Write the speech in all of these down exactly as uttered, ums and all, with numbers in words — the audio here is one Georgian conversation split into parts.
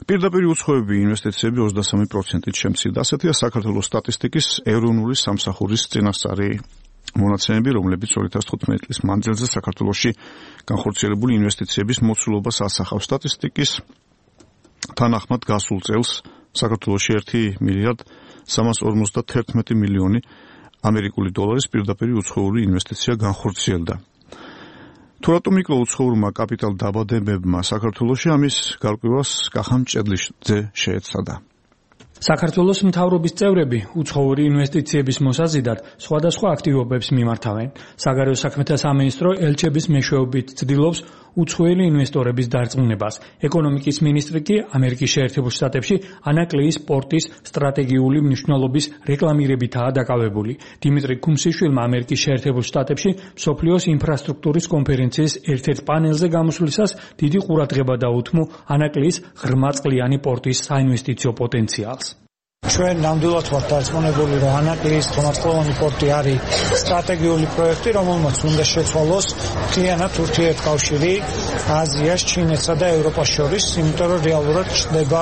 პირდაპირ უცხოები ინვესტიციები ოცდასამი პროცენტით შემცირდა. ასეთია საქართველოს სტატისტიკის ეროვნული სამსახურის წინასწარი მონაცემები, რომლებიც ორი ათას თხუთმეტი წლის მანძილზე საქართველოში განხორციელებული ინვესტიციების მოცულობას ასახავს. სტატისტიკის თანახმად გასულ წელს საქართველოში ერთი მილიარდ სამას ორმოცდათერთმეტი მილიონი ამერიკული დოლარის პირდაპირ უცხოური ინვესტიცია განხორციელდა. თუ რატომ იკლო უცხოურმა კაპიტალ დაბადებებმა საქართველოში, ამის გარკვევას კახამ ჭედლიძე შეეცადა. საქართველოს მთავრობის წევრები უცხოური ინვესტიციების მოსაზიდად სხვადასხვა აქტივობებს მიმართავენ. საგარეო საქმეთა სამინისტრო ელჩების მეშვეობით ცდილობს უცხოელი ინვესტორების დარწმუნებას. ეკონომიკის მინისტრი კი ამერიკის შეერთებულ შტატებში ანაკლიის პორტის სტრატეგიული მნიშვნელობის რეკლამირებითაა დაკავებული. დიმიტრი ქუმსიშვილმა ამერიკის შეერთებულ შტატებში მსოფლიოს ინფრასტრუქტურის კონფერენციის ერთ-ერთ პანელზე გამოსვლისას დიდი ყურადღება დაუთმო ანაკლიის ღრმაწყლიანი პორტის საინვესტიციო პოტენციალს. ჩვენ ნამდვილად ვართ დარწმუნებული, რომ ანაკლიის ღრმაწყლიანი პორტი არის სტრატეგიული პროექტი, რომელმაც უნდა შეცვალოს მთლიანად ურთიერთკავშირი აზიას, ჩინეთსა და ევროპას შორის, იმიტომ რომ რეალურად ჩნდება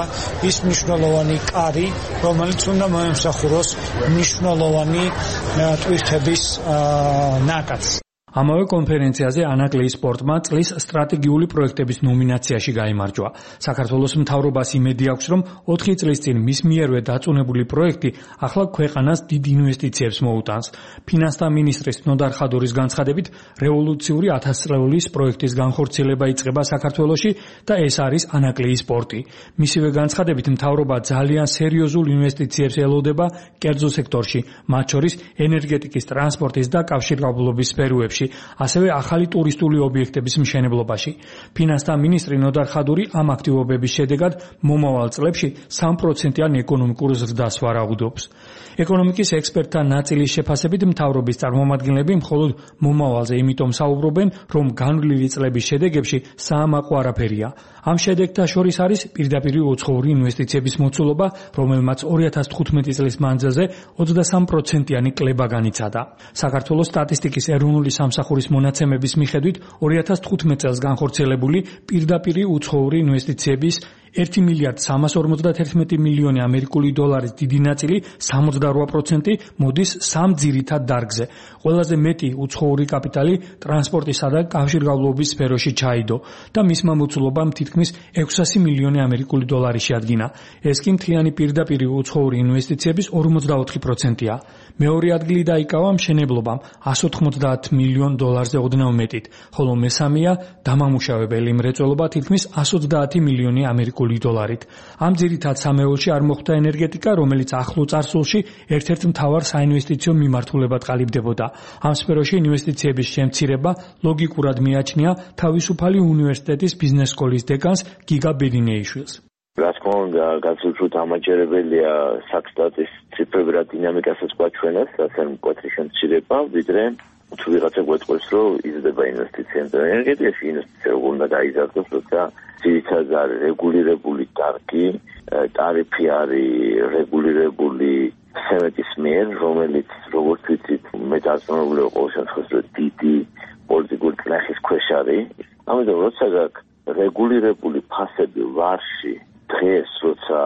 ის მნიშვნელოვანი კარი, რომელიც უნდა მოემსახუროს მნიშვნელოვანი ტვირთების ნაკადს. ამავე კონფერენციაზე ანაკლიის პორტმა წლის სტრატეგიული პროექტების ნომინაციაში გაიმარჯვა. საქართველოს მთავრობას იმედი აქვს, რომ ოთხი წლის წინ მის მიერვე დაწუნებული პროექტი ახლა ქვეყანას დიდ ინვესტიციებს მოუტანს. ფინანსთა მინისტრის ნოდარ ხადურის განცხადებით, რევოლუციური ათასწლეულის პროექტის განხორციელება იწყება საქართველოში და ეს არის ანაკლიის პორტი. მისივე განცხადებით, მთავრობა ძალიან სერიოზულ ინვესტიციებს ელოდება კერძო სექტორში, მათ შორის ენერგეტიკის, ტრანსპორტის და კავშირგაბმულობის სფეროებში, ასევე ახალი ტურისტული ობიექტების მშენებლობაში. ფინანსთა მინისტრი ნოდარ ხადური ამ აქტივობების შედეგად მომავალ წლებში სამი პროცენტიან ეკონომიკურ ზრდას ვარაუდობს. ეკონომიკის ექსპერტთა ნაწილის შეფასებით, მთავრობის წარმომადგენლები მხოლოდ მომავალზე იმიტომ საუბრობენ, რომ განვლილი წლების შედეგებში საამაყო არაფერია. ამ შედეგთა შორის არის პირდაპირ უცხოური ინვესტიციების მოცულობა, რომელმაც ორი ათას თხუთმეტი წლის მანძილზე ოცდასამი პროცენტიანი კლება განიცადა. საქართველოს სტატისტიკის ეროვნული სამსახურის მონაცემების მიხედვით ორი ათას თხუთმეტი წელს განხორციელებული პირდაპირ უცხოური ინვესტიციების ერთი მილიარდ სამას ორმოცდათერთმეტი მილიონი ამერიკული დოლარის დიდი ნაწილი სამოცდარვა პროცენტი მოდის სამ ძირითად დარგზე. ყველაზე მეტი უცხოური კაპიტალი ტრანსპორტისა და კავშირგაბმულობის სფეროში ჩაიდო და მისმა მოცულობამ თითქმის ექვსასი მილიონი ამერიკული დოლარი შეადგინა. ეს კი მთლიანი პირდაპირ უცხოური ინვესტიციების ორმოცდაოთხი პროცენტია. მეორე ადგილი დაიკავა მშენებლობამ εκατს ოთხმოცდაათ მილიონ დოლარზე ოდნავ მეტით, ხოლო მესამეა დამამუშავებელი მრეწველობა თითქმის εκατს ოცდაათი მილიონი ამერიკული დოლარით. ამ ძირითად სამეულში არ მოხვდა ენერგეტიკა, რომელიც ახლო წარსულში ერთ-ერთ მთავარ საინვესტიციო მიმართულებად ყალიბდებოდა. ამ სფეროში ინვესტიციების შემცირება ლოგიკურად მიაჩნია თავისუფალი უნივერსიტეტის ბიზნეს სკოლის დეკანს გიგა ბედინეიშვილს. რა თქმა უნდა, გაცილებით ამაჯერებელია საქსტატის ციფრები რა დინამიკასაც გვაჩვენებს, ასე მკვეთრი შემცირება, ვიდრე თუ ვიღაცა გვეტყვის, რომ იზრდება ინვესტიციები ენერგეტიკაში, ინვესტიცია უნდა გაიზარდოს, როცა ძირითადად არის რეგულირებული დარგი, ტარიფი არის რეგულირებული სემეტის მიერ, რომელიც როგორც ვიცით, მე დარწმუნებული ვარ ყოველ შემთხვევაში დიდი პოლიტიკური წნეხის ქვეშ არის. ამიტომ როცა გაქვს რეგულირებული ფასები ვარში, დღეს როცა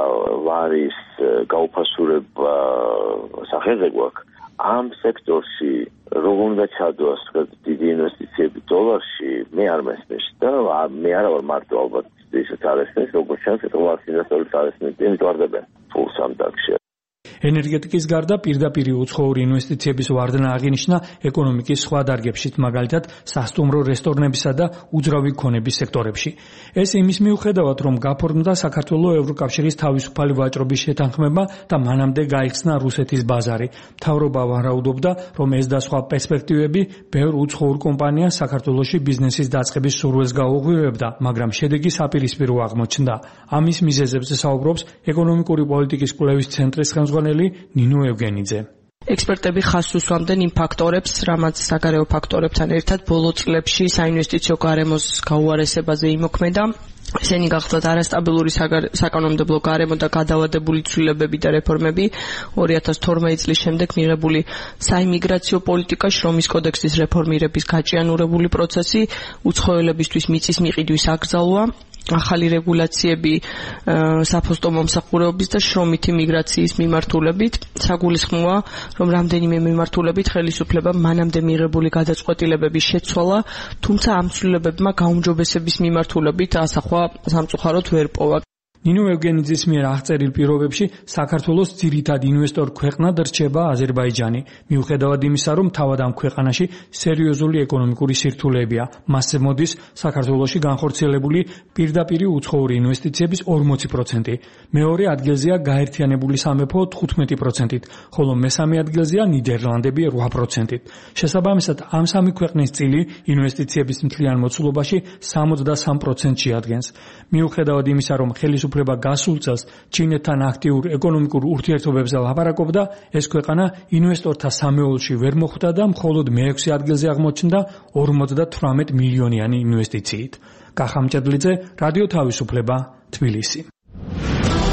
ვარის გაუფასურება სახელზე გვაქვს, ამ სექტორში როგორ უნდა ჩადოს დიდი ინვესტიციები დოლარში, მე არ მესმის და მე არა ვარ მარტო ალბათ ისეთ არესმის, როგორც ჩანს, დოლარის ინვესტორებს არესმის, იმიტომ ვარდებენ ფულს ამ დარგში. ენერგეტიკის გარდა პირდაპირ უცხოური ინვესტიციების ვარდნა აღინიშნა ეკონომიკის სხვა დარგებშიც, მაგალითად სასტუმრო რესტორნებისა და უძრავი ქონების სექტორებში. ეს იმის მიუხედავად, რომ გაფორმდა საქართველოს ევროკავშირის თავისუფალი ვაჭრობის შეთანხმება და მანამდე გაიხსნა რუსეთის ბაზარი. მთავრობა ვარაუდობდა, რომ ეს და სხვა პერსპექტივები ბევრ უცხოურ კომპანიას საქართველოში ბიზნესის დაწყების სურვილს გაუღვივებდა, მაგრამ შედეგი საპირისპირო აღმოჩნდა. ამის მიზეზებზე საუბრობს ეკონომიკური პოლიტიკის კვლევის ცენტრის ხელმძღვანელი ნინო ევგენიძე. ექსპერტები ხაზს უსვამდნენ იმ ფაქტორებს, რამაც საგარეო ფაქტორებთან ერთად ბოლო წლებში საინვესტიციო გარემოს გაუარესებაზე იმოქმედა. ესენი გახლავთ არასტაბილური საკანონმდებლო გარემო და გადავადებული ცვლილებები და რეფორმები, ორი ათას თორმეტი წლის შემდეგ მიღებული საიმიგრაციო პოლიტიკა, შრომის კოდექსის რეფორმირების გაჭიანურებული პროცესი, უცხოელებისთვის მიწის მიყიდვის აკრძალვა, ახალი რეგულაციები საფოსტო მომსახურეობის და შრომითი მიგრაციის მიმართულებით. საგულისხმოა, რომ რამდენიმე მიმართულებით ხელისუფლებამ მანამდე მიღებული გადაწყვეტილებების შეცვალა, თუმცა ამ ცვლილებებმა გაუმჯობესების მიმართულებით ასახვა სამწუხაროდ ვერ პოვა. ნინო ევგენიძის მიერ აღწერილ პირობებში საქართველოს ძირითად ინვესტორ ქვეყნად რჩება აზერბაიჯანი. მიუხედავად იმისა, რომ თავად ამ ქვეყანაში სერიოზული ეკონომიკური სირთულეებია, მასზე მოდის საქართველოში განხორციელებული პირდაპირი უცხოური ინვესტიციების ორმოცი პროცენტი. მეორე ადგილზეა გაერთიანებული სამეფო თხუთმეტი პროცენტით, ხოლო მესამე ადგილზეა ნიდერლანდები რვა პროცენტით. შესაბამისად, ამ სამი ქვეყნის წილი ინვესტიციების მთლიან მოცულობაში სამოცდასამ პროცენტს შეადგენს. მიუხედავად იმისა, რომ ხელისუფლება გასულ წელს ჩინეთთან აქტიურ ეკონომიკურ ურთიერთობებზე ლაპარაკობდა, ეს ქვეყანა ინვესტორთა სამეულში ვერ მოხვდა და მხოლოდ მეექვსე ადგილზე აღმოჩნდა ორმოცდათვრამეტ მილიონიანი ინვესტიციით. კახა მჭედლიძე, რადიო თავისუფლება, თბილისი.